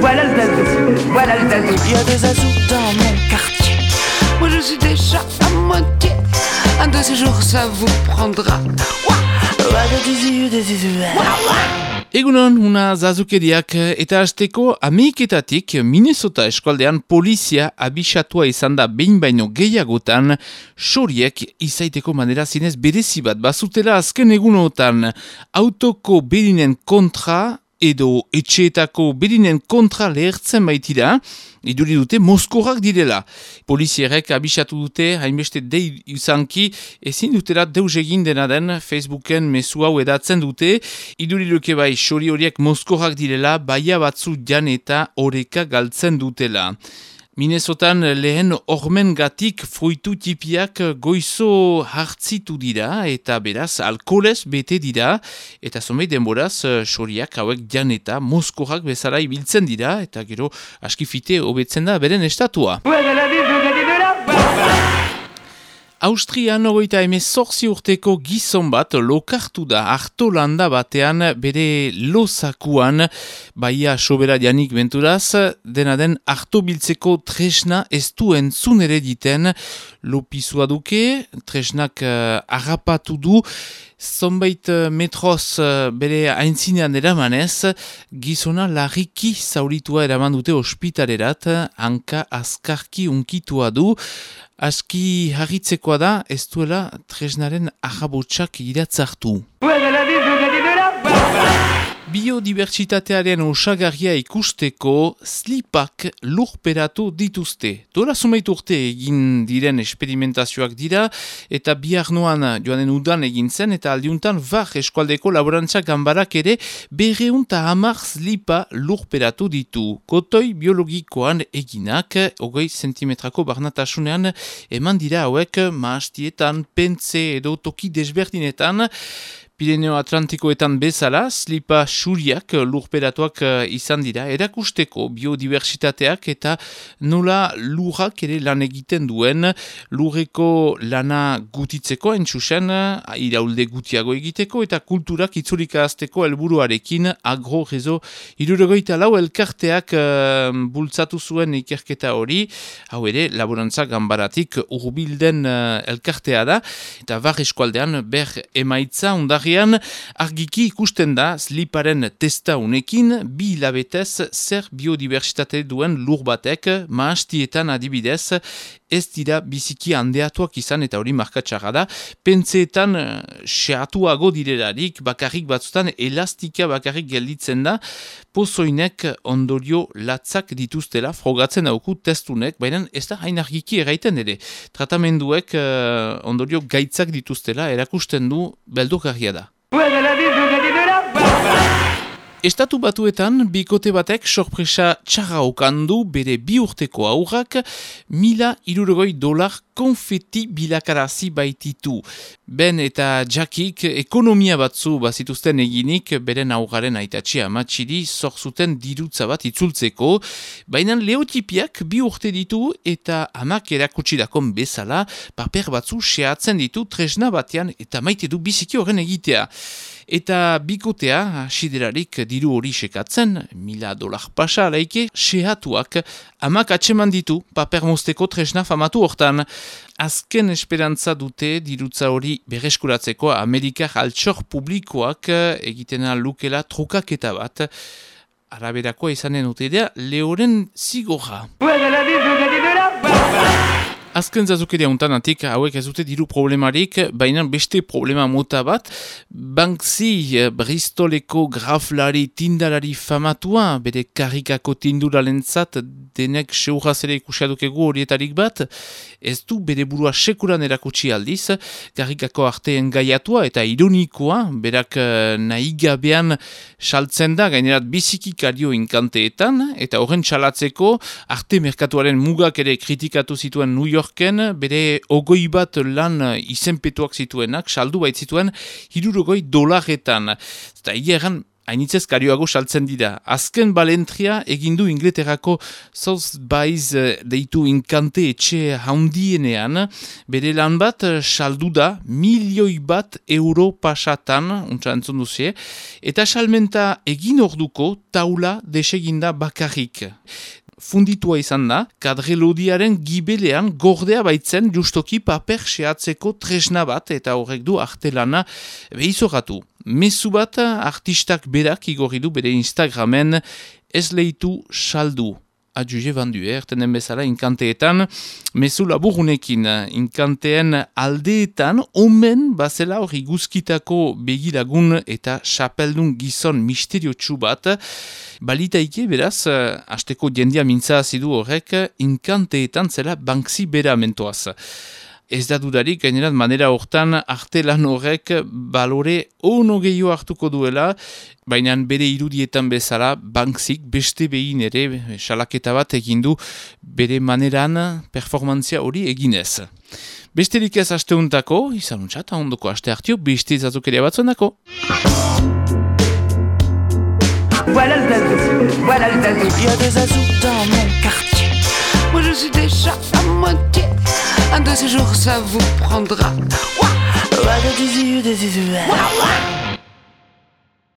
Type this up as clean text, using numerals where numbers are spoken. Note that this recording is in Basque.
Voilà le zazou, voilà le zazou. Il y a des zazous dans mon quartier. Moi je suis déjà à moitié. Un de ces jours ça vous prendra. Egunon, una zazukeriak eta hasteko Ameriketatik Minnesota eskualdean polizia abisatua izan da behin baino gehiagotan xoriek izaiteko manera zinez berezi bat bazutela azken egunotan autoko berinen kontra edo etxeetako berinen kontra lehertzen baitira, iduri dute mozkorrak direla. Polizierek abisatu dute, hainbeste dei izanki, ezin dutela deus egin dena den Facebooken mezu hau edatzen dute, iduri duke bai xori horiek mozkorrak direla, baia batzu jan eta oreka galtzen dutela. Minnesotan lehen ormengatik fruitu tipiak goizo hartzitu dira eta beraz alkoholez bete dira eta zomei denboraz xoriak hauek jan eta mozkorrak bezala ibiltzen dira eta gero askifite hobetzen da beren estatua. Austrian 38 urteko gizon bat lokartu da Artolanda batean bere lozakuan, baia sobera janik benturaz, dena den arto biltzeko tresna ez du entzun ere diten, lopizua duke, tresnak harrapatu du, zonbait metroz bere aintzinean eramanez, gizona larriki zauritua eraman dute ospitalerat, hanka azkarki unkitua du, aski harritzekoa da, ez duela tresnaren ahabotsak iratzartu. Biodibertsitatearen osagarria ikusteko slipak lurperatu dituzte. Dola zumeit urte egin diren esperimentazioak dira eta bihar noan joanen udan egin zen eta aldiuntan var eskualdeko laborantzak ganbarak ere 210 slipa lurperatu ditu. Kotoi biologikoan eginak, 20 zentimetrako barnatasunean eman dira hauek mahastietan, pentze edo toki desberdinetan, Pirineo Atlantikoetan bezala, slipa xuriak lurperatuak izan dira, erakusteko biodiversitateak eta nola lurrak ere lan egiten duen, lurreko lana gutitzeko entzusen, iraulde gutiago egiteko eta kulturak itzulika azteko helburuarekin agrorezo 74 elkarteak bultzatu zuen ikerketa hori, hau ere laborantzak ganbaratik urbilden elkartea da, eta var eskualdean ber emaitza undarri argiki ikusten da sliparen testa unekin 2 hilabetez zer biodibertsitate duen lur batek mahastietan adibidez ez dira biziki handeatuak izan eta hori markatxarra da. Pentseetan xeatuago direlarik bakarrik batzutan elastika bakarrik gelditzen da pozoinek ondorio latzak dituztela frogatzen dauku testunek, baina ez da hain argiki eraiten ere. Tratamenduek ondorio gaitzak dituztela erakusten du beldurgarria da. Estatu Batuetan, bikote batek sorpresa txarra okandu bere 2 urteko aurrak $1,000 konfeti bilakarazi baititu. Ben eta Jackik ekonomia batzu bazituzten eginik beren aurraren aitatxi amatxiri zorzuten dirutza bat itzultzeko, baina leotipiak 2 urte ditu eta amak erakutsirakon bezala paper batzu xeatzen ditu tresna batean eta maite du biziki horren egitea. Eta bikotea, siderarik diru hori sekatzen, $1,000 pasa alaike, xehatuak amak atseman ditu paper mozteko tresna famatu hortan. Azken esperantza dute dirutza hori berreskuratzeko Amerikar altxor publikoak egitena lukela trukaketa bat. Araberakoa izanen utedea, lehoren zigorra. Azken zazukeria untanatik hauek ez dute diru problemarik, baina beste problema mota bat, Banksy Bristoleko graflari tindalari famatua, bere karikako tinduralentzat denek seurazere ikusiadukegu horietarik bat, ez du bere burua sekuran erakutsi aldiz, karikako arteen gaiatua eta ironikoa, berak nahi gabean saltzen da, gainerat biziki kario inkanteetan, eta horren salatzeko arte merkatuaren mugak ere kritikatu zituen New Yorken, bere 21 lan izenpetuak zituenak, saldu baitzituen $60. Eta egeran hainitzez karioago saltzen dira. Azken balentria egindu Inglaterrako Sotheby's deitu inkante etxe haundienean, bere lan bat saldu da €1.000.000 pasatan, untsa entzun duzie, eta salmenta egin orduko taula deseginda bakarrik. Funditua izan da, kadrelodiaren gibelean gordea baitzen justoki paper sehatzeko tresna bat eta horrek du artelana behizoratu. Mezu bat artistak berak igorri du bere Instagramen ez leitu saldu. Adjuge bandu, ertenen bezala inkanteetan, mezu laburunekin, inkanteen aldeetan, omen bazela hori guzkitako begilagun eta xapeldun gizon misteriotsu bat, balitaike beraz, hasteko jendia mintza azidu horrek, inkanteetan zela Banksy bera mentoaz. Ez da dudarik, gainerat manera hortan artelan horrek balore ono gehiago hartuko duela, baina bere irudietan bezala Banksyk beste behin ere salaketa bat egindu bere maneran performantzia hori eginez. Besterik ez asteuntako, izan untsat, ondoko aste hartio, beste izazukeria batzuendako. Voilà le zazou. Il y a des azous dans mon quartier. Moi je suis déjà à moitié. Un de ces jours ça vous prendra. Ouah, ouah,